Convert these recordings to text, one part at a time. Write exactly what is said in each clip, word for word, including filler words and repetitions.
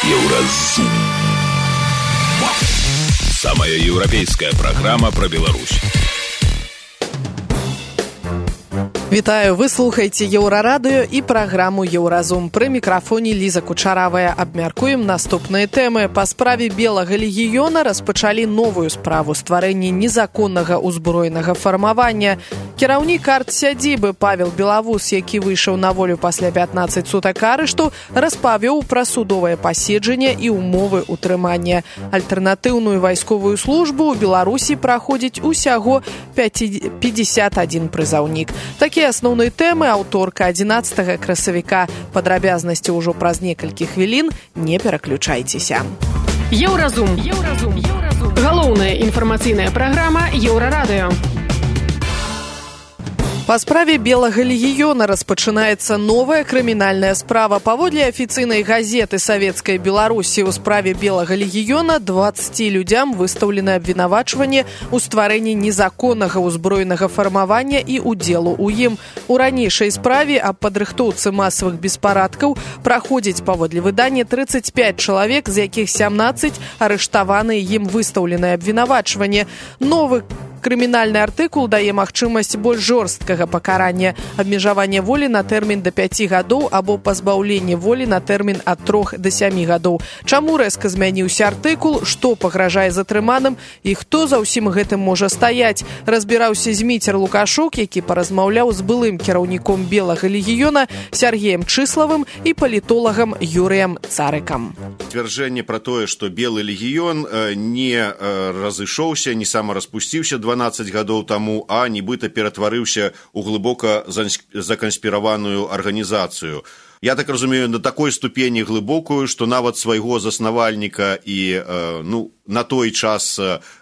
Еўразум. Самая еўрапейская программа про Беларусь. Вітаю, вы слухаеце Еўрарадыё і праграму «Еўразум». Пры мікрафоне Ліза Кучаравая. Абмяркуем наступныя тэмы. Па справе Белага легіёна распачалі новую справу стварэння незаконнага ўзброенага фармавання. Кіраўнік арт-сядзібы Павел Белавус, які выйшаў на волю пасля пятнаццаць сутак арышту, распавёў пра судовае паседжанне і ўмовы ўтрымання. Альтэрнатыўную вайсковую службу ў Беларусі праходзіць усяго пятьдесят один прызаўнік. Такія асноўныя тэмы аўторка адзінаццатага красавіка. Падрабязнасці ўжо праз некалькі хвілін. Не пераключайцеся. Еўразум. Еўразум. Еўразум. Галоўная інфармацыйная праграма Еўрарадыё. Па справе Белага легіёна распачынаецца новая крымінальная справа. Паводле афіцыйнай газеты Савецкай Беларусі ў справе Белага легіёна дваццаці людзям выстаўлена абвінавачванне ў стварэнні незаконнага ўзброенага фармавання і удзелу ў ім. У ранейшай справе аб падрыхтоўцы масавых беспарадкаў праходзіць паводле выдання трыццаць пяць чалавек, з якіх сямнаццаць арыштаваны, ім выстаўленае абвінавачванне. Новы крымінальны артыкул дае магчымасць больш жорсткага пакарання, абмежавання волі на тэрмін да пяці гадоў або пазбаўлення волі на тэрмін ад трох да сямі гадоў. Чаму рэзка змяніўся артыкул, што пагражае затрыманым і хто за ўсім гэтым можа стаяць, разбіраўся Зміцер Лукашук, які паразмаўляў з былым кіраўніком Белага легіёна Сергеем Чыславым і палітолагам Юрыем Царыкам. Сцвярджэнне пра тое, што Белы легіён не разышоўся, не самараспусціўся дванаццаць гадоў таму, а нібыта ператварыўся ў глыбока заканспіраваную арганізацыю. Я так разумею, на такой ступені глыбокую, што нават свайго заснавальніка і ну, на той час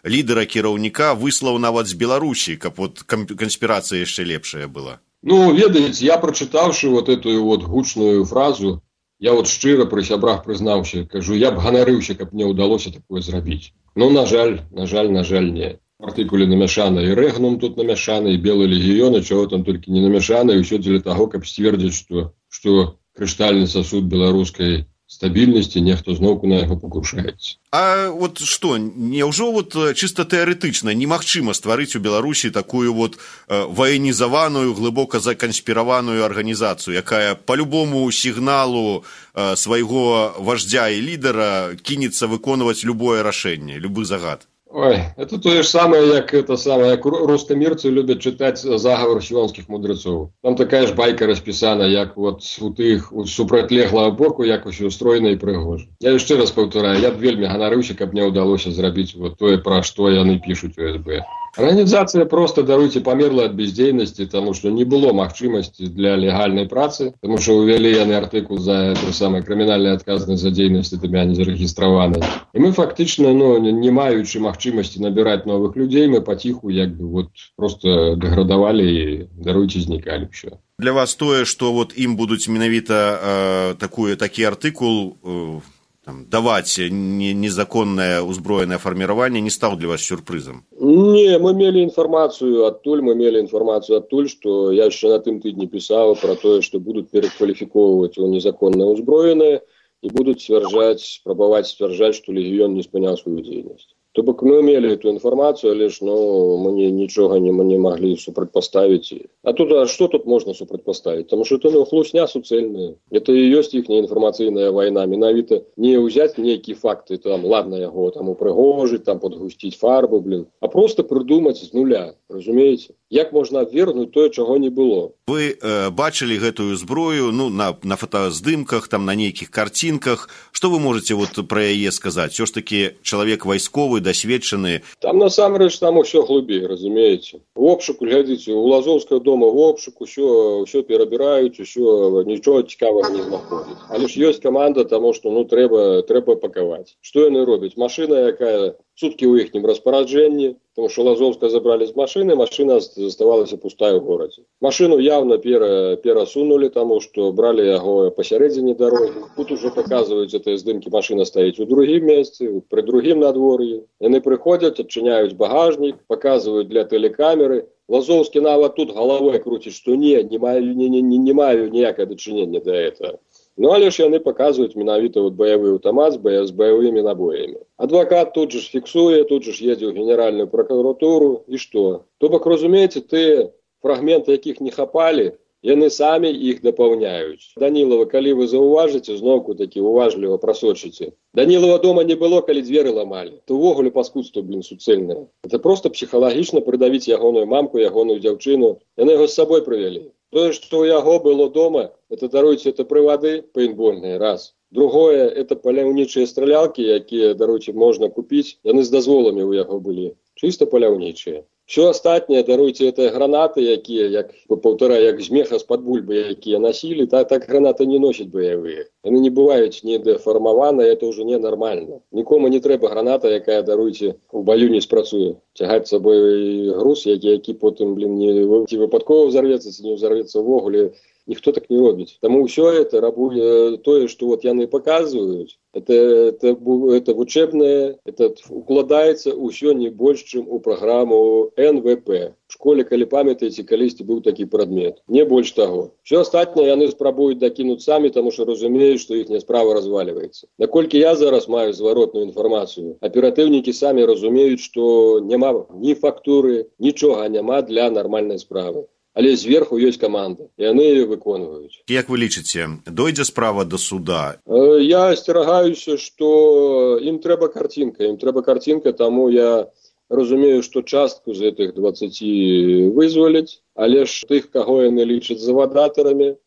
лідера кіраўніка выслаў нават з Беларусі, каб вот канспірацыя яшчэ лепшая была. Ну, ведаеце, я прачытаўшы вот эту вот гучную фразу, я вот шчыра пры сябрах прызнаўся, кажу, я б ганарыўся, каб мне ўдалося такое зрабіць. Ну, на жаль, на жаль, на жаль, не. В артыкуле намяшана і рэгнум тут намяшана, і Белы легіён, і чаго там толькі не намяшана, і ўсё дзеля таго, каб сцвердзіць, што, што крыштальны сасуд беларускай стабільнасці нехто зноўку на яго пакушаецца. А вот што, няўжо вот чыста тэарэтычна немагчыма стварыць у Беларусі такую вот э, ваенізаваную, глыбока заканспіраваную арганізацыю, якая по любому сігналу э, свайго вождя і лідара кінецца выконваць любое рашэнне, любы загад? Ой, это то же самое, як это самое, як рускамірцы любят читать заговор сіонскіх мудрецов. Там такая ж байка распісана, як вот у тых у супрацьлеглага боку, як усё стройна і прыгожа. Я яшчэ раз паўтараю, я б вельмі ганарыўся, каб мне ўдалося зрабіць вот тое, пра што яны пішуць у эс бэ. Арганізацыя просто, даруйце, памерла ад бездзейнасці, таму што не было магчымасці для легальнай працы, таму што ўвялі яны артыкул за той самай крымінальнай адказнасць за дзейнасць тымя не зарэгістраванай. І мы фактычна, ну, не маючы магчымасці набіраць новых людзей, мы паціху як бы вот просто дэградавалі і, даруйце, знікалі ўсё. Для вас тое, што вот ім будуць менавіта э, такую, такі артыкул э, там, даваць не, незаконнае ўзброенае фарміраванне, не стаў для вас сюрпрызам? Не, мы мелі інфармацыю адтуль, мы мелі інфармацыю адтуль, што я яшчэ на тым тыдні пісаў пра тое, што будуць перакваліфікоўваць у незаконнае ўзброенае і будуць сцвярджаць, спрабаваць сцвярджаць, што легіён не спыняў сваю дзейнасць. То бок мы мелі эту інфармацыю, але ж ну, мы не, нічога не, мы не маглі супрацьпаставіць. А тут а што тут можна супрацьпаставіць? Таму што это ну, хлусня суцэльная. Это і ёсць іхняя інфармацыйная вайна. Менавіта не ўзяць нейкія факты, там, ладно, яго там упрыгожыць, там падгусціць фарбу, блин, а просто прыдумаць з нуля, разумееце? Як можна абвергнуць тое, чаго не было? Вы э, бачылі гэтую зброю ну, на, на фотаздымках, там, на нейкіх карцінках. Што вы можаце вот пра яе сказаць? Усё ж такі чалавек вайсковы, досведчаны. Там насамрэч там усё глыбей, разумееце. У обшуку, глядзіце, у Лазоўскага дома в обшуку усё, усё перабіраюць, усё, нічога цікавага не знаходзяць. Але ж ёсць каманда, таму што ну трэба, трэба пакаваць. Што яны робяць? Машына, якая суткі ў іхнім распараджэнні, тому що Лазовска забрали з машини, машина заставалася пустая в городе. Машину явно пера, перасунули, тому что брали его посередине дороги. Тут уже показывают эти здымки, машина стоит у другим месте, при другим надворье. Они приходят, отчиняют багажник, показывают для телекамеры. Лазовский нават тут головой крутит, что нет, не маю, не, не, не, не маю ніякого дочинения до этого. Ну, але ж яны паказваюць менавіта вот баявы аўтамат з баявымі набоямі. Адвакат тут же ж фіксуе, тут же ж едзе ў генеральную прокуратуру, і што? То бок, разумееце, ты фрагменты, якіх не хапалі, яны самі іх дапаўняюць. Данілова, калі вы заўважыце, зноўку такі уважліва прасочыце. Данілова дома не было, калі дзверы ламалі. То ўвогуле паскудства, блин, суцэльнае. Это проста псіхалагічна прыдавіць ягоную мамку, ягоную дзяўчыну. Яны яго з сабой прывялі. Тое, што ў яго было дома, это, даруйце, это прывады пейнтбольныя, раз. Другое, это паляўнічыя стралялкі, якія, даруйце, можна купіць. Яны з дазволамі ў яго былі. Чыста паляўнічыя. Все астатняе, даруйце, это гранаты, якія, як паўтара, як змеха з-пад бульбы, якія носілі, так, так гранаты не носяць баявыя. Яны не бываюць недэфармаваныя, это ўжо ненармальна. Нікому не трэба граната, якая, даруйце, у баю не спрацуе. Цягаць сабой груз, які, які потым, блин, не ці выпадкова взорвецца, ці не взорвецца ўвогуле. Ніхто так не робіць. Таму ўсё это рабуе тое, што вот яны паказваюць, это, это, это вучэбнае, это укладаецца ўсё не больш, чым у праграму эн вэ пэ. В школе, калі памятаеце, калісьці быў такі прадмет. Не больш таго. Усё астатняе яны спрабуюць дакінуць самі, таму што разумеюць, што іхняя справа развальваецца. Наколькі я зараз маю зваротную інфармацыю, аператыўнікі самі разумеюць, што няма ні фактуры, нічога няма для нармальнай справы. Але зверху ёсць каманда, і яны яе выконваюць. Як вы лічыце, дойдзе справа да суда? Я асцерагаюся, што ім трэба карцінка, ім трэба карцінка, таму я разумею, што частку з гэтых дваццаці вызваляць, але ж тых, каго яны лічаць завадатарамі,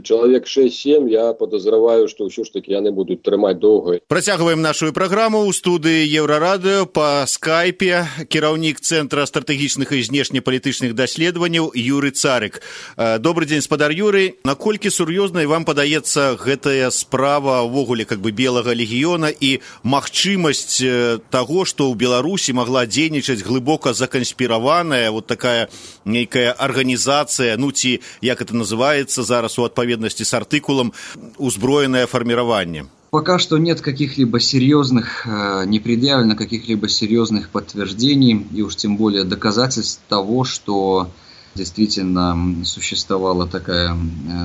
чалавек шэсць-сем, я падазраваю, што ўсё ж такі яны будуць трымаць доўга. Працягваем нашу праграму ў студыі Еўрарадыё па скайпе кіраўнік Цэнтра стратэгічных і знешнепалітычных даследаванняў Юрый Царык. Добры дзень, спадар Юрый. Наколькі сур'ёзнай вам падаецца гэтая справа ўвогуле как бы белага легіёна і магчымасць таго, што ў Беларусі магла дзейнічаць глыбока заканспіраваная вот такая нейкая организация, ну ці, як это называется зараз у отповедности с артикулом, узброенное формирование? Пока что нет каких-либо серьезных, не предъявлено каких-либо серьезных подтверждений и уж тем более доказательств того, что действительно существовала такая,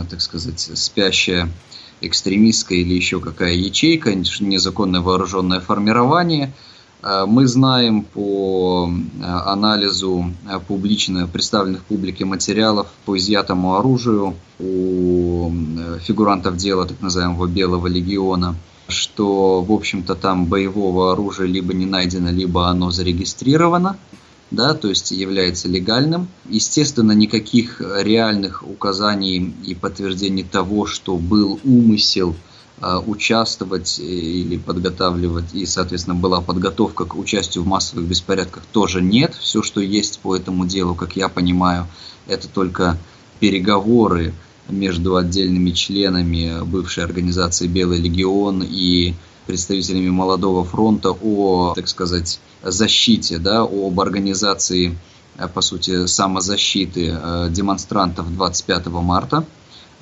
так сказать, спящая экстремистская или еще какая ячейка, незаконное вооруженное формирование. Мы знаем по анализу публично представленных публике материалов по изъятому оружию у фигурантов дела так называемого Белого легиона, что, в общем-то, там боевого оружия либо не найдено, либо оно зарегистрировано, да, то есть является легальным. Естественно, никаких реальных указаний и подтверждений того, что был умысел участвовать или подготавливать, и, соответственно, была подготовка к участию в массовых беспорядках, тоже нет. Все, что есть по этому делу, как я понимаю, это только переговоры между отдельными членами бывшей организации «Белый легион» и представителями Молодого фронта о, так сказать, защите, да, об организации, по сути, самозащиты демонстрантов двадцать пятого марта.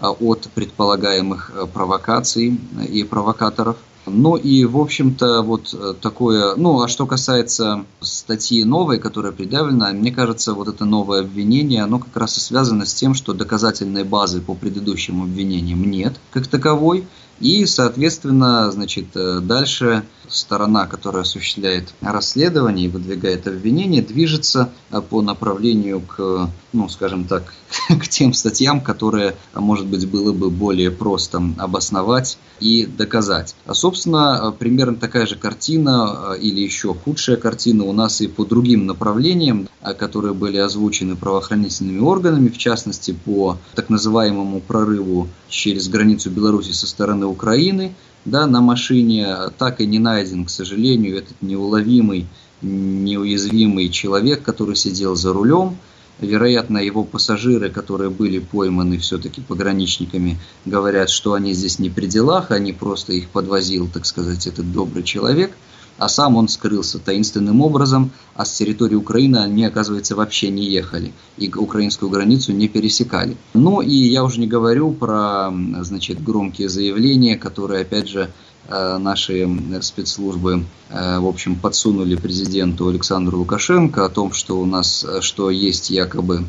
От предполагаемых провокаций и провокаторов. Ну и, в общем-то, вот такое... Ну, а что касается статьи новой, которая предъявлена, мне кажется, вот это новое обвинение, оно как раз и связано с тем, что доказательной базы по предыдущим обвинениям нет как таковой. И, соответственно, значит, дальше сторона, которая осуществляет расследование и выдвигает обвинение, движется по направлению к, ну, скажем так, к тем статьям, которые, может быть, было бы более просто обосновать и доказать. А, собственно, примерно такая же картина или еще худшая картина у нас и по другим направлениям, которые были озвучены правоохранительными органами, в частности, по так называемому прорыву через границу Беларуси со стороны Украины, да, на машине. Так и не найден, к сожалению, этот неуловимый, неуязвимый человек, который сидел за рулем. Вероятно, его пассажиры, которые были пойманы все-таки пограничниками, говорят, что они здесь не при делах, они просто их подвозил, так сказать, этот добрый человек. А сам он скрылся таинственным образом, а с территории Украины они, оказывается, вообще не ехали и украинскую границу не пересекали. Ну и я уже не говорю про, значит, громкие заявления, которые, опять же, наши спецслужбы, в общем, подсунули президенту Александру Лукашенко о том, что у нас, что есть якобы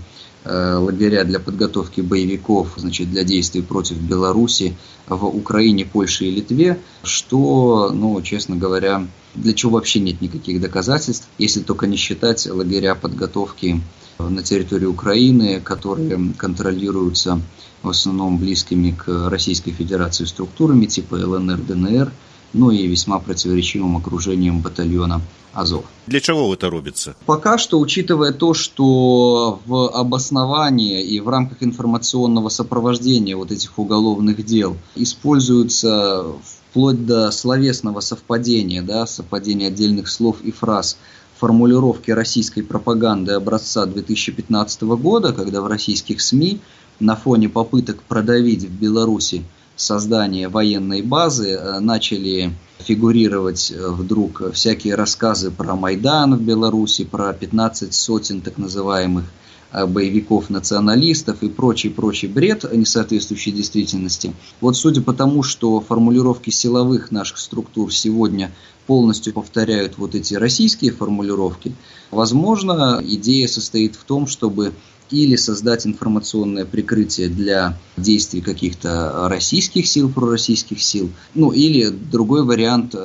лагеря для подготовки боевиков, значит, для действий против Беларуси в Украине, Польше и Литве, что, ну, честно говоря, для чего вообще нет никаких доказательств, если только не считать лагеря подготовки на территории Украины, которые контролируются в основном близкими к Российской Федерации структурами типа ЛНР, ДНР, ну и весьма противоречивым окружением батальона Азов. Для чего это робится? Пока что, учитывая то, что в обосновании и в рамках информационного сопровождения вот этих уголовных дел используются вплоть до словесного совпадения, да, совпадения отдельных слов и фраз, формулировки российской пропаганды образца две тысячи пятнадцатого года, когда в российских СМИ на фоне попыток продавить в Беларуси создание военной базы начали фигурировать вдруг всякие рассказы про Майдан в Беларуси, про пятнадцать сотен так называемых боевиков-националистов и прочий-прочий бред, не соответствующий действительности. Вот судя по тому, что формулировки силовых наших структур сегодня полностью повторяют вот эти российские формулировки, возможно, идея состоит в том, чтобы или создать информационное прикрытие для действий каких-то российских сил, пророссийских сил, ну или другой вариант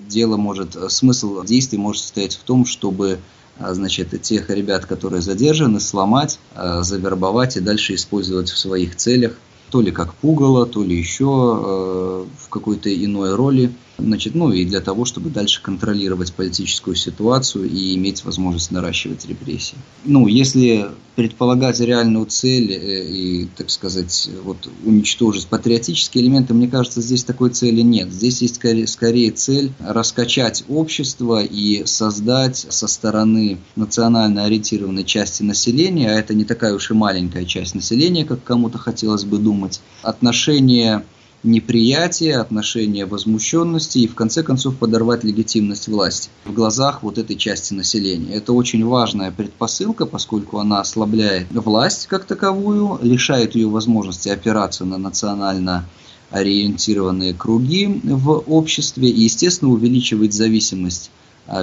дела может, смысл действий может состоять в том, чтобы, значит, тех ребят, которые задержаны, сломать, завербовать и дальше использовать в своих целях, то ли как пугало, то ли еще в какой-то иной роли. Значит, ну и для того, чтобы дальше контролировать политическую ситуацию и иметь возможность наращивать репрессии. Ну, если предполагать реальную цель и, так сказать, вот, уничтожить патриотические элементы, мне кажется, здесь такой цели нет. Здесь есть скорее, скорее цель раскачать общество и создать со стороны национально ориентированной части населения, а это не такая уж и маленькая часть населения, как кому-то хотелось бы думать, отношение неприятие, отношение возмущенности и в конце концов подорвать легитимность власти в глазах вот этой части населения. Это очень важная предпосылка, поскольку она ослабляет власть как таковую, лишает ее возможности опираться на национально ориентированные круги в обществе и, естественно, увеличивает зависимость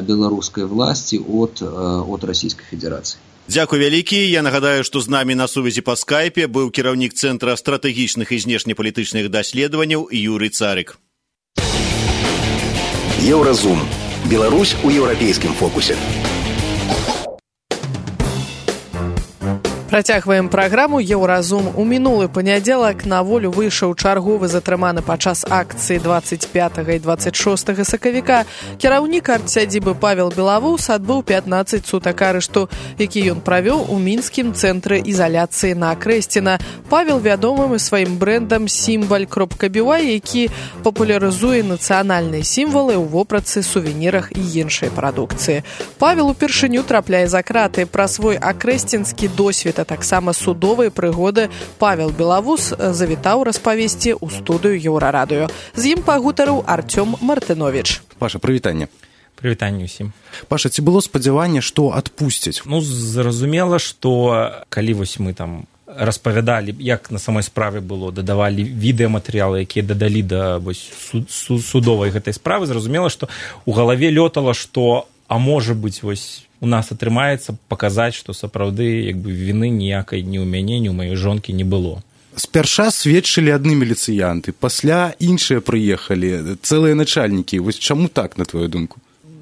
белорусской власти от, от Российской Федерации. Дзякуй вялікі. Я нагадаю, што з намі на сувязі па скайпе быў кіраўнік Цэнтра стратэгічных і знешнепалітычных даследаванняў Юрый Царык. Еўразум. Беларусь у еўрапейскім фокусе. Працягваем праграму «Еўразум». У мінулы панядзелак на волю выйшаў чарговы затрыманы падчас акцыі двадцать пятага і двадцать шостага сакавіка кіраўнік арт-сядзібы Павел Белавус адбыў пятнаццаць сутак арышту, які ён правёў у мінскім цэнтры ізаляцыі на Крэсціна. Павел вядомым і сваім брэндам «Сімваль кропка би уай», які папулярызуе нацыянальныя сімвалы ў вопратцы, сувенірах і іншай прадукцыі. Павел упершыню трапляе за краты. Пра свой акрэсцінскі досвед, а таксама судовыя прыгоды Павел Белавус завітаў распавесці ў студыю Еўрарадыё. З ім пагутарыў Артём Мартынович. Паша, прывітанне. Прывітанне ўсім. Паша, ці было спадзяванне, што адпусцяць? Ну, зразумела, што калі вось мы там распавядалі, як на самой справе было, дадавалі відэаматэрыялы, якія дадалі да вось, судовай гэтай справы, зразумела, што ў галаве лётала, што, а можа быць, вось, у нас атрымаецца паказаць, што сапраўды як бы віны ніякай ні ў мяне, ні ў маёй жонкі не было. Спярша сведчылі адны міліцыянты, пасля іншыя прыехалі, цэлыя начальнікі. Вось чаму так, на твою думку?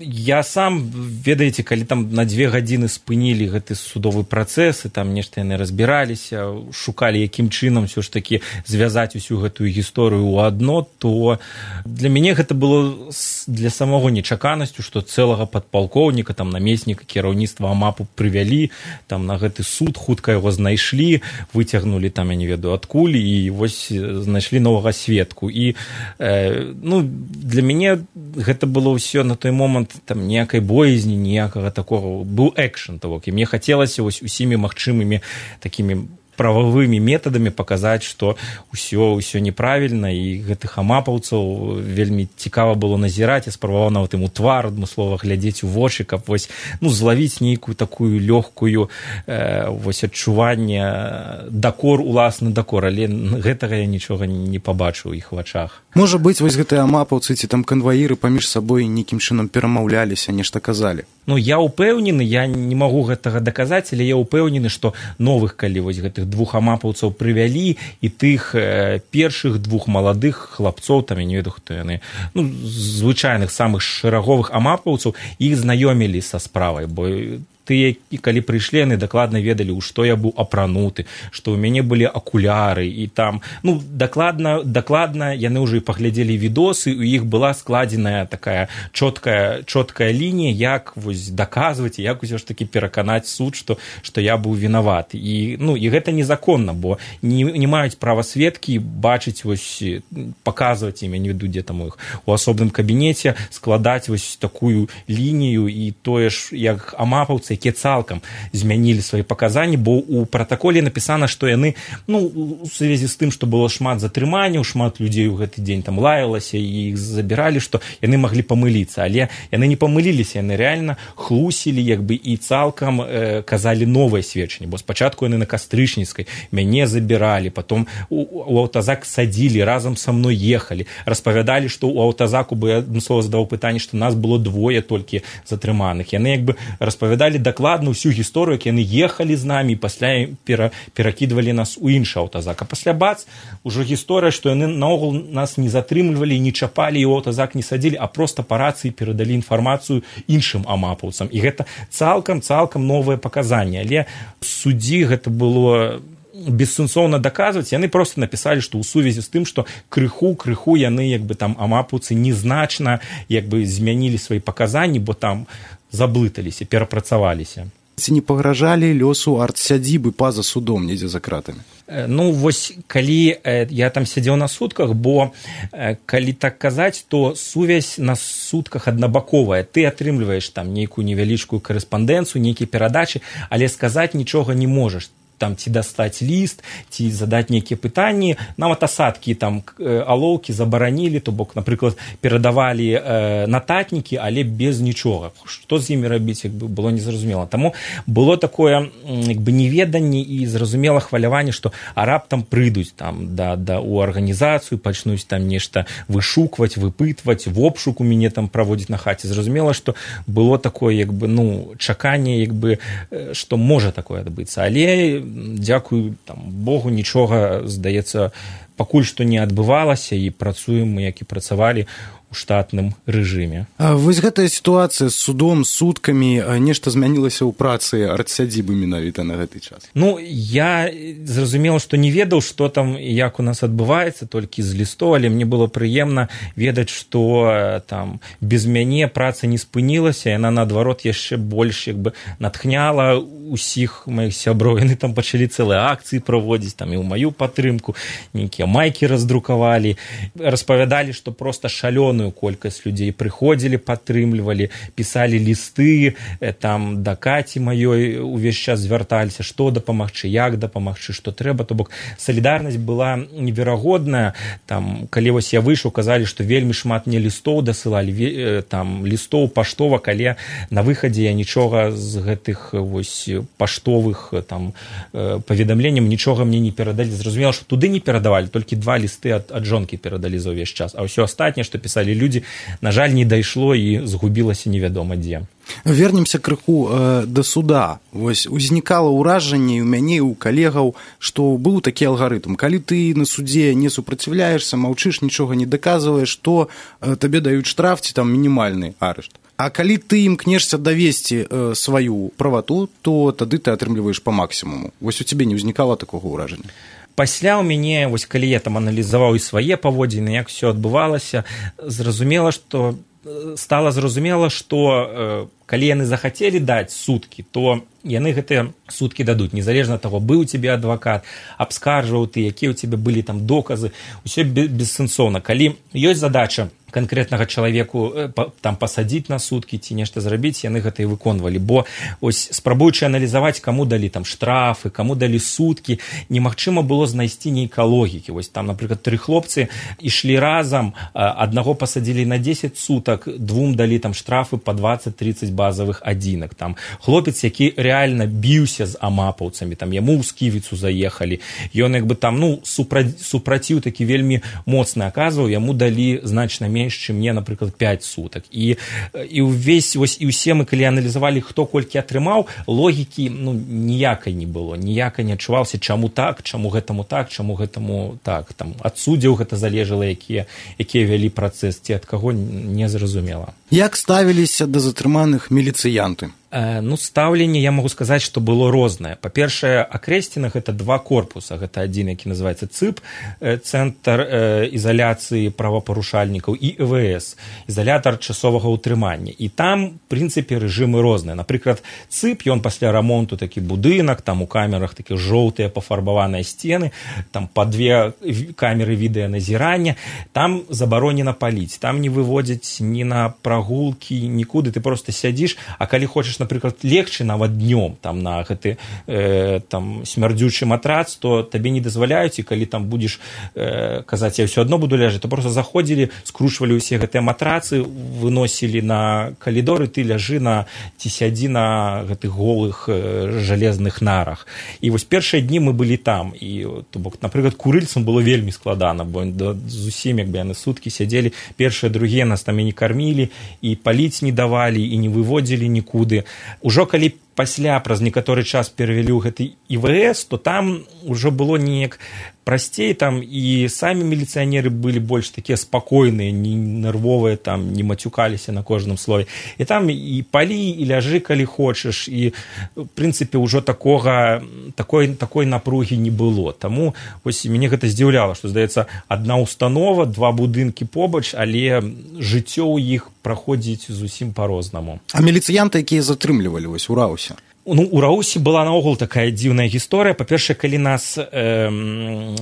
Я сам, ведаеце, калі там на дзве гадзіны спынілі гэты судовы працэс, і там нешта яны разбіраліся, шукалі, якім чынам ўсё ж такі звязаць усю гэтую гісторыю ў адно, то для мяне гэта было для самого нечаканасцю, што цэлага падпалкоўніка, там намесніка кіраўніцтва АМАПу прывялі, там на гэты суд хутка яго знайшлі, выцягнулі там, я не ведаю, адкуль, і вось знайшлі новага сведку. І э, ну, для мяне гэта было ўсё на той момант там ніякай боязні, ніякага такого, быў экшн того, і мне хацелася вось усімі магчымымі такімі прававымі метадамі паказаць, што ўсё ўсё неправільна, і гэтых амапаўцаў вельмі цікава было назіраць. Я спрабаваў нават ім у твар адмыслова глядзець у вочы, каб вось ну злавіць нейкую такую лёгкую э, вось адчуванне дакор, уласны дакор, але гэтага я нічога не пабачыў у іх вачах. Можа быць, вось гэтыя амапаўцы ці там канваіры паміж сабой нейкім чынам перамаўляліся, нешта казалі. Ну, я ўпэўнены, я не магу гэтага даказаць, але я ўпэўнены, што новых, калі вось гэтых двух амапаўцаў прывялі, і тых э, першых двух маладых хлапцоў, там я не ведаю, хто яны, ну, звычайных самых шэраговых амапаўцаў, іх знаёмілі са справай, бо тыя, калі прыйшлі, яны дакладна ведалі, у што я быў апрануты, што ў мяне былі акуляры, і там, ну, дакладна, дакладна яны ўжо і паглядзелі відосы, у іх была складзеная такая чоткая, чоткая лінія, як вось даказваць, як усё ж такі пераканаць суд, што, што я быў вінаваты. І, ну, і гэта незаконна, бо не, не маюць права сведкі бачыць, вось, паказваць ім, я не веду, дзе там у іх, у асобным кабінеце, складаць вось такую лінію, і тое ж, як амапаўцы, якія цалкам змянілі свае паказанні, бо ў пратаколе напісана, што яны, ну, у сувязі з тым, што было шмат затрыманняў, шмат людзей у гэты дзень там лаялася і іх забіралі, што яны маглі памыліцца, але яны не памыліліся, яны рэальна хлусілі, як бы, і цалкам э, казалі новае сведчанне, бо спачатку яны на Кастрычніцкай мяне забіралі, потом у, у аўтазак садзілі, разам са мной ехалі, распавядалі, што ў аўтазаку, бо я адмыслова задаваў пытанне, што нас было двое толькі затрыманых, яны як бы распавядалі дакладна ўсю гісторыю, як яны ехалі з намі і пасля пера, перакідвалі нас у іншы аўтазак. А пасля бац, ужо гісторыя, што яны наогул нас не затрымлівалі, не чапалі і ў аўтазак не садзілі, а проста па рацыі перадалі інфармацыю іншым амапаўцам. І гэта цалкам-цалкам новае паказанне. Але в суддзі гэта было бессэнсоўна даказваць, яны проста напісалі, што ў сувязі з тым, што крыху крыху яны як бы там амапаўцы незначна як бы змянілі свае паказанні, бо там заблыталіся, перапрацаваліся. Ці не пагражалі лёсу артсядзібы па-за судом недзе за кратамі? Ну, вось, калі э, я там сядзеў на сутках, бо э, калі так казаць, то сувязь на сутках аднабаковая. Ты атрымліваеш там нейкую невялічкую карэспандэнцыю, нейкія перадачы, але сказаць нічога не можаш. Там ці дастаць ліст, ці задаць нейкія пытанні, нават асадкі там алоўкі забаранілі, то бок, напрыклад, перадавалі э, нататнікі, але без нічога. Што з імі рабіць, як бы было незразумела. Таму было такое як бы неведанне і зразумела хваляванне, што а раптам прыйдуць там да, да, у арганізацыю, пачнуць там нешта вышукваць, выпытваць, в обшук у мяне там праводзіць на хаце. Зразумела, што было такое як бы, ну, чаканне, як бы, што можа такое адбыцца. Але дзякую там Богу, нічога, здаецца, пакуль што не адбывалася, і працуем мы, як і працавалі у штатным рэжыме. А вось гэтая сітуацыя з судом, суткамі, нешта змянілася ў працы артсядзібы менавіта на гэты час? Ну, я зразумела, што не ведаў, што там і як у нас адбываецца, толькі з лістоў, але мне было прыемна ведаць, што там без мяне праца не спынілася, яна, наадварот, яшчэ больш як бы натхняла усіх маіх сяброў. Яны там пачалі цэлыя акцыі праводзіць, там і ў маю падтрымку, нейкія майкі раздрукавалі, распавядалі, што проста шалёную колькасць людзей прыходзілі, падтрымлівалі, пісалі лісты, там да Каці маёй увесь час звярталіся, што дапамагчы, як дапамагчы, што трэба. То бок салідарнасць была неверагодная. Там, калі вось я выйшаў, казалі, што вельмі шмат мне лістоў дасылалі, там лістоў паштовак, але на выхадзе я нічога з гэтых вось паштовых там паведамленняў нічога мне не перадалі. Зразумела, што туды не перадавалі, толькі два лісты ад, ад жонкі перадалі за ўвесь час, а ўсё астатняе, што пісалі людзі, на жаль, не дайшло і згубілася невядома дзе. Вернемся крыху э, да суда. Вось узнікала ўражанне у мяне, у калегаў, што быў такі алгарытм. Калі ты на судзе не супраціўляешся, маўчыш, нічога не даказваеш, то э, табе даюць штраф ці там мінімальны арышт. А калі ты імкнешся давесці э, сваю правату, то тады ты атрымліваеш па максімуму. Вось у цябе не ўзнікала такога ўражання? Пасля ў мяне, вось калі я там аналізаваў і свае паводзіны, як все адбывалася, зразумела, што стала зразумела, што калі яны захацелі даць суткі, то яны гэтыя суткі дадуць, незалежна ад таго, быў у цябе адвакат, абскаржваў ты, якія ў цябе былі там доказы, усё бессэнсоўна. Калі ёсць задача канкрэтнага чалавеку там пасадзіць на суткі ці нешта зрабіць, яны гэта і выконвалі, бо ось спрабуючы аналізаваць, каму далі там штрафы, каму далі суткі, немагчыма было знайсці нейкай логікі. Вось там, напрыклад, тры хлопцы ішлі разам, аднаго пасадзілі на дзесяць сутак, двум далі там штрафы па дваццаць-трыццаць базавых адзінак. Там хлопец, які рэальна біўся з амапаўцамі, там яму ў сківіцу заехалі, ён як бы там, ну, супра... супраціў такі вельмі моцны аказваў, яму далі значна менш, чым мне, напрыклад, пяць сутак. І, і ўвесь, вось, і ўсе мы, калі аналізавалі, хто колькі атрымаў, логікі, ну, ніякай не было, ніякай не адчувалася, чаму так, чаму гэтаму так, чаму гэтаму так. Там ад суддзяў гэта залежала, якія, якія вялі працэс, ці ад каго, не зразумела. Як ставіліся да затрыманых міліцыянты? Ну, стаўленне, я магу сказаць, што было рознае. Па-першае, акрэсцена гэта два корпуса. Гэта адзін, які называецца ЦЫП, Цэнтр ізаляцыі правапарушальнікаў, і Э Вэ Эс, ізалятар часовага ўтрымання. І там, в прынцыпе, рэжымы розныя. Напрыклад, ЦЫП, ён пасля рамонту такі будынак, там у камерах такі жоўтыя пафарбаваныя сцены, там па две камеры відэаназірання, там забаронена паліць, там не выводзяць ні на прагулкі, нікуды, ты проста сядзіш, а калі хочаш, напрыклад, легчы нават днём там на гэты э, там смярдзючы матрац, то табе не дазваляюць, і калі там будзеш э, казаць, я ўсё адно буду ляжаць, то просто заходзілі, скручвалі ўсе гэтыя матрацы, выносілі на калідоры, ты ляжы на ці сядзі на гэтых голых э, жалезных нарах. І вось першыя дні мы былі там, і то бок, напрыклад, курыльцам было вельмі складана, бо зусім як бы яны суткі сядзелі, першыя, другія нас там і не кармілі, і паліць не давалі, і не выводзілі нікуды. Ужо калі пасля праз некаторы час перавялі ў гэты І Вэ Эс, то там ужо было неяк прасцей, там і самі міліцыянеры былі больш такія спакойныя, не нервовыя, там не мацюкаліся на кожным слове. І там і палі, і ляжы, калі хочаш, і в прынцыпе ўжо такога такой такой напругі не было. Таму вось мяне гэта здзіўляла, што здаецца, адна установа, два будынкі побач, але жыццё ў іх праходзіць зусім па-рознаму. А міліцыянты, якія затрымлівалі вось у Раусе? Ну, у Раусе была наогул такая дзіўная гісторыя. Па-першае, калі нас э,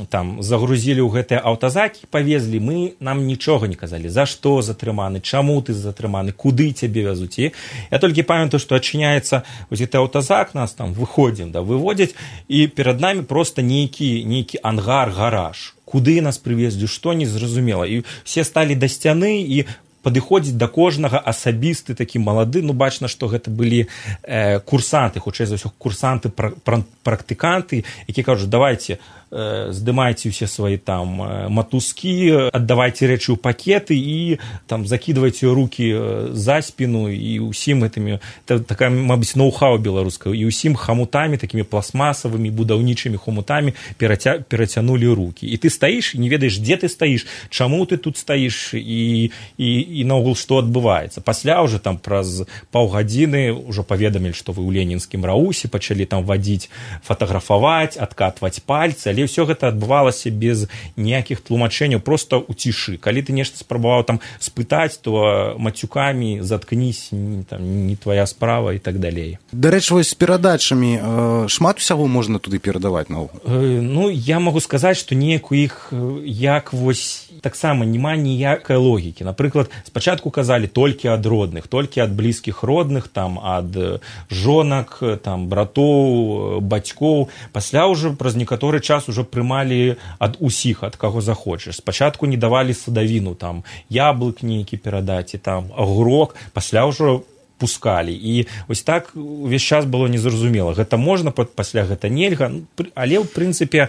там загрузілі ў гэтыя аўтазакі, павезлі, мы нам нічога не казалі, за што затрыманы, чаму ты затрыманы, куды цябе вязуць. І я толькі памятаю, што адчыняецца вось гэты аўтазак, нас там выходзім, да, выводзяць, і перад намі проста нейкі, нейкі ангар, гараж. Куды нас прывезлі, што не зразумела. І все сталі да сцяны, і падыходзіць да кожнага асабісты такі малады, ну бачна, што гэта былі э, курсанты, хутчэй за ўсё курсанты, пра, пра, практыканты, які кажуць, давайте э, здымайце ўсе свае там э, матузкі, аддавайце рэчы ў пакеты і там закідвайце рукі э, за спіну, і ўсім гэтымі, такая, мабыць, ноу-хау беларуская, і ўсім хамутамі, такімі пластмасавымі, будаўнічымі хомутамі пераця, перацянулі рукі. І ты стаіш, і не ведаеш, дзе ты стаіш, чаму ты тут стаіш, і, і і наогул што адбываецца. Пасля ўжо там праз паўгадзіны ўжо паведамілі, што вы ў ленінскім Раусе, пачалі там вадзіць, фатаграфаваць, адкатваць пальцы, але ўсё гэта адбывалася без ніякіх тлумачэнняў, проста ў цішы. Калі ты нешта спрабаваў там спытаць, то мацюкамі заткнись, там не твоя справа і так далей. Дарэчы, вось з перадачамі э, шмат усяго можна туды перадаваць наогул? Э, ну, я магу сказаць, што неяк у іх як вось таксама няма ніякай логікі. Напрыклад, спачатку казалі толькі ад родных, толькі ад блізкіх родных, там, ад жонак, там, братоў, бацькоў. Пасля ўжо праз некаторы час ужо прымалі ад усіх, ад каго захочаш. Спачатку не давалі садавіну, там, яблык нейкі перадаць, і там, агурок. Пасля ўжо пускалі. І вось так увесь час было незразумела. Гэта можна, пасля гэта нельга. Але, ў прынцыпе,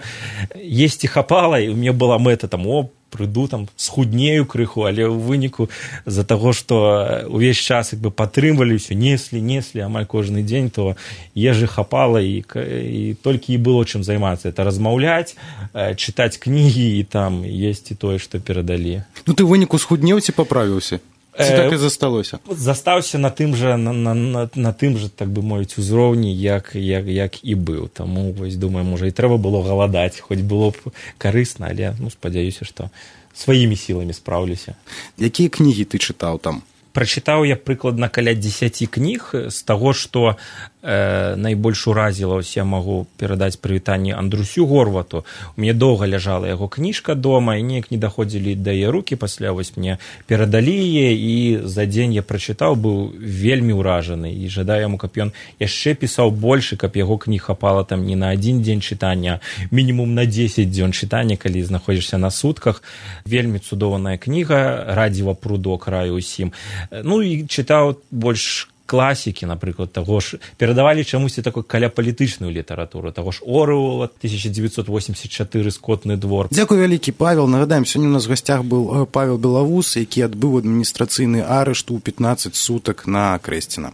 есці хапала, і ў мяне была мэта, там, о, прыйду, там, схуднею крыху, але ў выніку з-за таго, што увесь час як бы падтрымвалі ўсё, неслі, неслі амаль кожны дзень, то ежы хапала, і, і толькі і было чым займацца. Это размаўляць, чытаць кнігі і там есці тое, што перадалі. Ну ты ў выніку схуднеў ці паправіўся? Ці так і засталося? Застаўся на тым жа, на, на, на, на тым жа, так бы мовіць, узроўні, як, як, як і быў. Таму, вось, думаю, можа, і трэба было галадаць, хоць было б карысна, але, ну, спадзяюся, што сваімі сіламі спраўлюся. Якія кнігі ты чытаў там? прачытаў я прыкладна каля дзесяці кніг. З таго, што э, найбольш уразіла, ось я магу перадаць прывітанне Андрусю Горвату. У мяне доўга ляжала яго кніжка дома, і неяк не даходзілі да яе рукі, пасля вось мне перадалі яе, і за дзень я прачытаў, быў вельмі ўражаны, і жадаю яму, каб ён яшчэ пісаў больш, каб яго кніг хапала там не на адзін дзень чытання, мінімум на дзесяць дзён чытання, калі знаходзішся на сутках. Вельмі цудоўная кніга, радзіва прудок, раю усім. Ну і чытаў больш класікі, напрыклад, таго ж, перадавалі чамусьці такой каляпалітычную літаратуру, таго ж Оруэлла, тысяча девятьсот восемьдесят четыре, Скотны двор. Дзякуй вялікі, Павел. Нагадаем, сёння у нас в гасцях быў Павел Белавус, які адбыў адміністрацыйны арышт у пятнаццаць сутак на Крэсціна.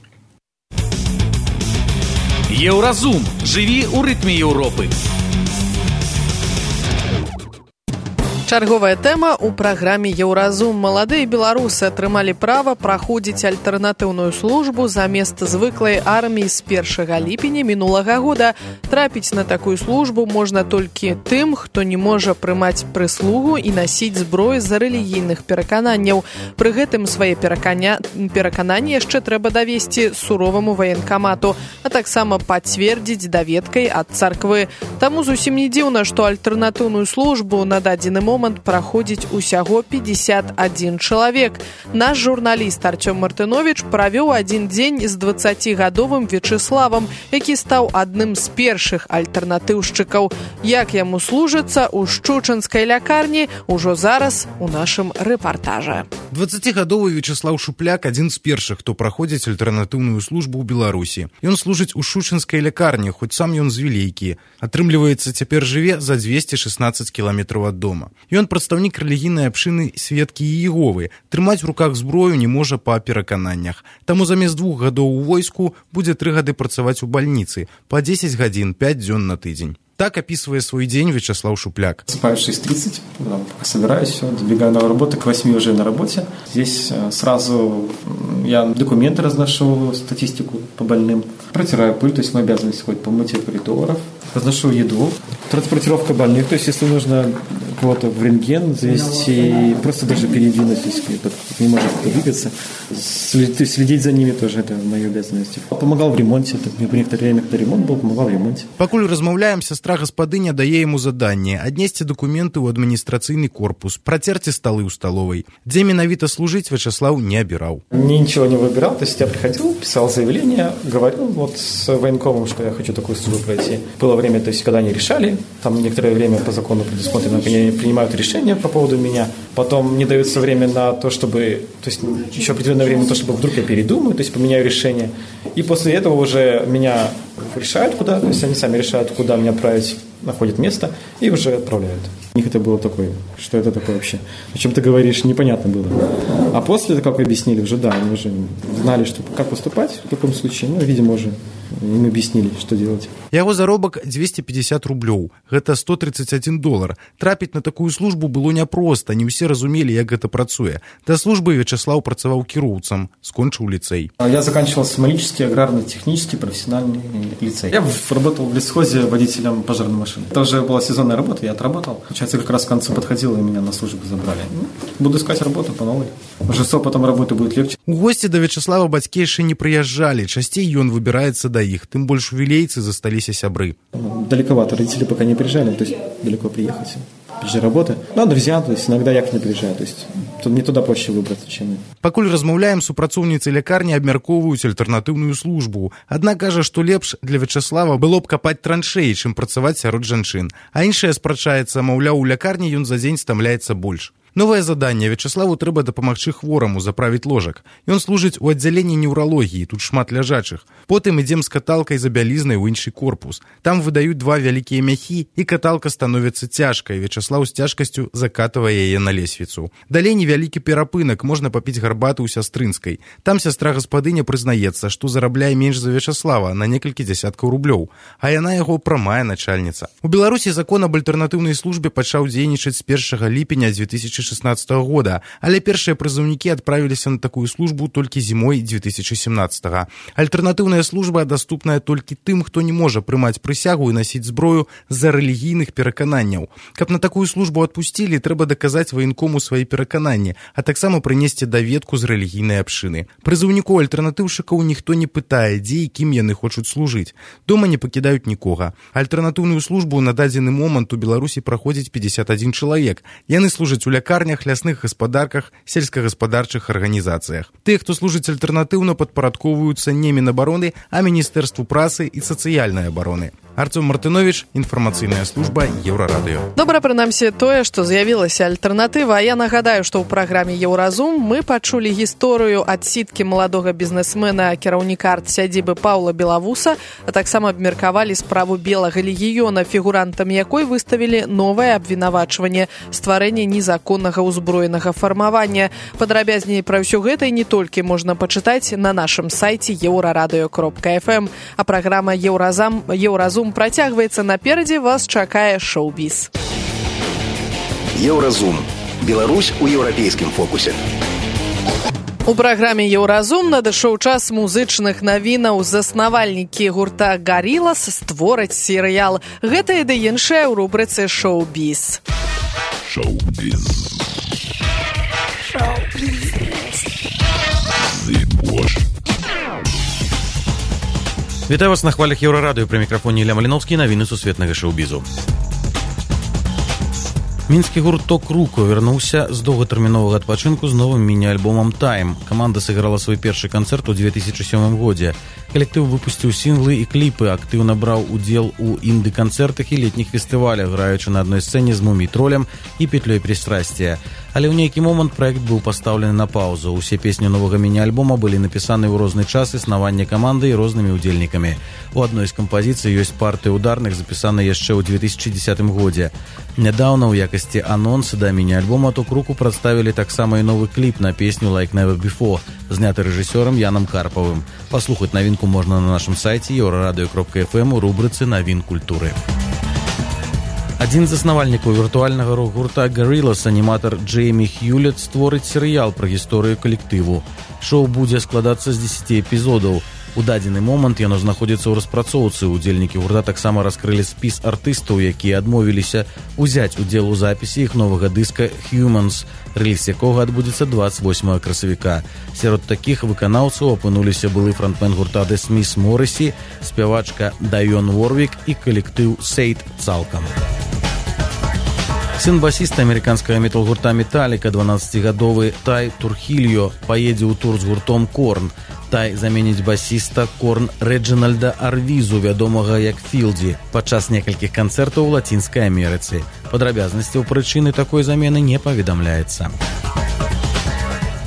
Еўразум. Жыві ў рытме Еўропы. Чарговая тэма ў праграме «Еўразум». Маладыя беларусы атрымалі права праходзіць альтэрнатыўную службу замест звыклай арміі з першага ліпеня мінулага года. Трапіць на такую службу можна толькі тым, хто не можа прымаць прыслугу і насіць зброю з-за рэлігійных перакананняў. Пры гэтым свае перакання... перакананні яшчэ трэба давесці суроваму ваенкамату, а таксама пацвердзіць даведкай ад царквы. Таму зусім не дзіўна, што альтэрнатыўную службу на дадзены момант праходзіць усяго пятьдесят один чалавек. Наш журналіст Артём Мартынович правёў адзін дзень з дваццацігадовым Вячеславам, які стаў адным з першых альтэрнатыўшчыкаў. Як яму служыцца ў шчучынскай лякарні, ужо зараз у нашым рэпартажы. дваццацігадовы Вячеслав Шупляк адзін з першых, хто праходзіць альтэрнатыўную службу ў Беларусі. Ён служыць у шчучынскай лякарні, хоць сам ён з Вілейкі. Атрымліваецца, цяпер жыве за двести шестнадцать кіламетраў ад дома. Ён прадстаўнік рэлігійнай абшчыны Сведкі Іеговы. Трымаць у руках зброю не можа па перакананнях. Таму замест двух гадоў у войску будзе тры гады працаваць у бальніцы, па дзесяць гадзін, пять дзён на тыдзень. Так описывая свой день Вячеслав Шупляк. Спаю в шесть тридцать, собираюсь, все, добегаю на работу, к восьми уже на работе. Здесь сразу я документы разношу, статистику по больным. Протираю пыль, то есть моя обязанность ходить по мытью коридоров. Разношу еду. Транспортировка больных, то есть если нужно кого-то в рентген завести, просто даже передвинуть, если кто-то не может двигаться. Следить за ними тоже, это моя обязанность. Помогал в ремонте, в некоторое время, когда ремонт был, помогал в ремонте. Пакуль размаўляем, сестра гаспадыня дае яму заданне аднесці дакументы ў адміністрацыйны корпус, працерці сталы ў сталовай. Дзе менавіта служыць, Вячеслав не обирал. Ничего не выбирал, то есть я приходил, писал заявление, говорил вот с военкомом, что я хочу такую службу пройти. Было время, то есть когда они решали, там некоторое время по закону предусмотрено, они принимают решение по поводу меня, потом мне дается время на то, чтобы, то есть еще определенное время на то, чтобы вдруг я передумаю, то есть поменяю решение, и после этого уже меня решают куда, то есть они сами решают, куда меня отправить, находят место и уже отправляют. У них это было такое, что это такое вообще, о чем ты говоришь, непонятно было. А после, как объяснили, уже да, они уже знали, что, как поступать в таком случае, ну, видимо, уже им объяснили, что делать. Яго заробак двести пятьдесят рублёў, гэта сто тридцать один долар. Трапіць на такую службу было няпроста, не ўсе разумелі, як гэта працуе. Да службы Вячеслав працаваў кіроўцам, скончыў ліцэй. Я заканчивал Смолический аграрно-технический профессиональный лицей. Я работал в лесхозе водителем пожарной машины. Это уже была сезонная работа, я отработал. Получается, как раз к концу подходило, и меня на службу забрали. Ну, буду искать работу по новой. Уже с опытом работы будет легче. У гости до Вячеслава бацькі яшчэ не прыязджалі, часцей ён выбіраецца да іх, тым больш у вілейцы засталіся сябры. Далековато, родители пока не приезжали, то есть далеко приехать. Ближе работы. Ну, друзья, то есть иногда я к ним приезжаю, то есть тут не туда проще выбраться, чем... Пакуль размаўляем, супрацоўніцы лякарні абмяркоўваюць альтэрнатыўную службу. Адна кажа, што лепш для Вячеслава было б капаць траншеі, чым працаваць сярод жанчын. А іншая спрачаецца, маўляў, у лякарні ён за дзень стамляецца больш. Новае заданне. Вячеславу трэба дапамагчы хвораму заправіць ложак. Ён служыць у аддзяленні неўралогіі, тут шмат ляжачых. Потым ідзем з каталкай за бялізнай у іншы корпус. Там выдаюць два вялікія мяхі, і каталка становіцца цяжкай. Вячеслав з цяжкасцю закатывае яе на лесвіцу. Далей невялікі перапынак, можна папіць гарбаты ў сястрынскай. Там сястра гаспадыня прызнаецца, што зарабляе менш за Вячеслава на некалькі дзясяткаў рублёў, а яна яго прамая начальніца. У Беларусі закон аб альтэрнатыўнай службе пачаў дзейнічаць з першага ліпеня две тысячи шестнадцатого года, але першыя прызыўнікі адправіліся на такую службу толькі зімой две тысячи семнадцатого. Альтэрнатыўная служба даступная толькі тым, хто не можа прымаць прысягу і насіць зброю з-за рэлігійных перакананняў. Каб на такую службу адпусцілі, трэба даказаць ваенкому свае перакананні, а таксама прынесці даведку з рэлігійнай абшчыны. Прызыўнікоў альтэрнатыўшчыкаў ніхто не пытае, дзе і кім яны хочуць служыць. Дома не пакідаюць нікога. Альтэрнатыўную службу на дадзены момант у Беларусі праходзіць пятьдесят один чалавек. Яны служаць у лякарнях, лясных гаспадарках, сельскагаспадарчых арганізацыях. Тыя, хто служыць альтэрнатыўна, падпарадковваюцца не Мінабароны, а Міністэрству працы і сацыяльнай абароны. Арцём Мартынович, інфармацыйная служба Еўрарадыё. Добра, прынамсі тое, што з'явілася альтэрнатыва. А я нагадаю, што ў праграме «Еўразум» мы пачулі гісторыю адсідкі маладога бізнесмена, кіраўніка арт-сядзібы Паўла Белавуса, а таксама абмеркавалі справу белага легіёна, фігурантамі якой выставілі новае абвінавачванне стварэння незаконнага ўзброенага фармавання. Падрабязней пра ўсё гэта і не толькі можна пачытаць на нашым сайце еўрарадыё кропка эф эм. А праграма «Еўразам» «Еўразум» працягваецца. Наперадзе вас чакае шоу-біз. Еўразум. Беларусь у еўрапейскім фокусе. У праграме «Еўразум» надышоў час музычных навінаў. Заснавальнікі гурта «Гарилас» створаць серыял. Гэта і да іншае ў рубрыцы «Шоу-біз». Шоу-біз. Шоу-біз. Зыбош. Вітаю вас на хвалях Еўрарадыё, пры мікрафоне Ілля Маліновскі, навіны сусветнага шоу-бізу. Мінскі гурт «Ток Руко» вярнуўся з доўгатэрміновага адпачынку з новым міні-альбомам «Тайм». Каманда сыграла свой першы канцэрт у две тысячи сёмым годзе. Калектыў выпусціў сінглы і кліпы, актыўна браў удзел у інды-канцэртах і летніх фестывалях, граючы на адной сцэне з «Мумій-тролем» і «Петлёй пристрастия». Але ў нейкі момант праект быў пастаўлены на паўзу. Усе песні новага міні-альбома былі напісаны ў розны час існавання каманды і рознымі ўдзельнікамі. У адной з кампазіцый ёсць партыя ударных, запісаныя яшчэ ў две тысячи дзесятым годзе. Нядаўна ў якасці анонса да міні-альбома «Ток Руко» прадставілі таксама і новы кліп на песню «Like Never Before», зняты рэжысёрам Янам Карпавым. Паслухаць навінку можна на нашым сайце еўрарадыё кропка эф эм у рубрыцы «Навін культуры». Адзін з заснавальнікаў віртуальнага рок-гурта «Гарилас», аніматар Джеймі Хьюлет, створыць серыял пра гісторыю калектыву. Шоу будзе складацца з дзесяці эпізодаў. У дадзены момант яно знаходзіцца ў распрацоўцы. Удзельнікі гурта таксама раскрылі спіс артыстаў, якія адмовіліся ўзяць удзел у запісе іх новага дыска «Humans», рэліз якога адбудзецца двадцать восьмага красавіка. Сярод такіх выканаўцаў апынуліся былы франтмен гурта «The Smiths» Моррисі, спявачка Дайон Уорвік і калектыў «Сейд» цалкам. Сын басіста амерыканскага метал-гурта «Металліка», дванаццацігадовы Тай Турхільо, паедзе ў тур з гуртом «Корн». Тай заменіць басіста «Корн» Рэджынальда Арвізу, вядомага як Філдзі, падчас некалькіх канцэртаў у Лацінскай Амерыцы. Падрабязнасцяў прычыны такой замены не паведамляецца.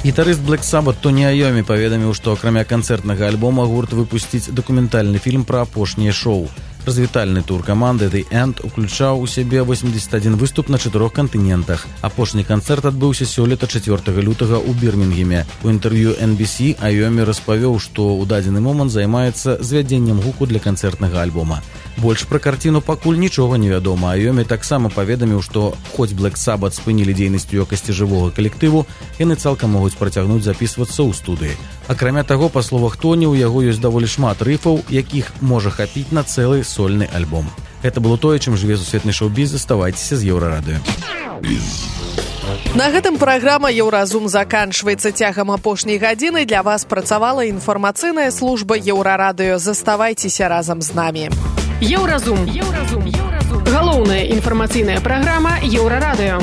Гітарыст Black Sabbath Тоні Айомі паведаміў, што акрамя канцэртнага альбома гурт выпусціць дакументальны фільм пра апошняе шоу. Развітальны тур каманды The End уключаў у сябе восемьдесят один выступ на чатырох кантынентах. Апошні канцэрт адбыўся сёлета чацвёртага лютага ў Бірмінгеме. У інтэрв'ю эн би си Айомі распавёў, што ў дадзены момант займаецца звядзеннем гуку для канцэртнага альбома. Больш пра карціну пакуль нічога не вядома. Айомі таксама паведаміў, што хоць Black Sabbath спынілі дзейнасць у якасці жывога калектыву, яны цалкам могуць працягнуць запісвацца ў студыі. Акрамя таго, па словах Тоні, у яго ёсць даволі шмат рыфаў, якіх можа хапіць на цэлы сольны альбом. Гэта было тое, чым жыве сусветны шоу-біз. Заставайцеся з Еўрарадыё. На гэтым праграма «Еўразум» заканчваецца. Цягам апошняй гадзіны для вас працавала інфармацыйная служба Еўрарадыё. Заставайцеся разам з намі. Еўразум. Еўразум. Галоўная інфармацыйная праграма Еўрарадыё.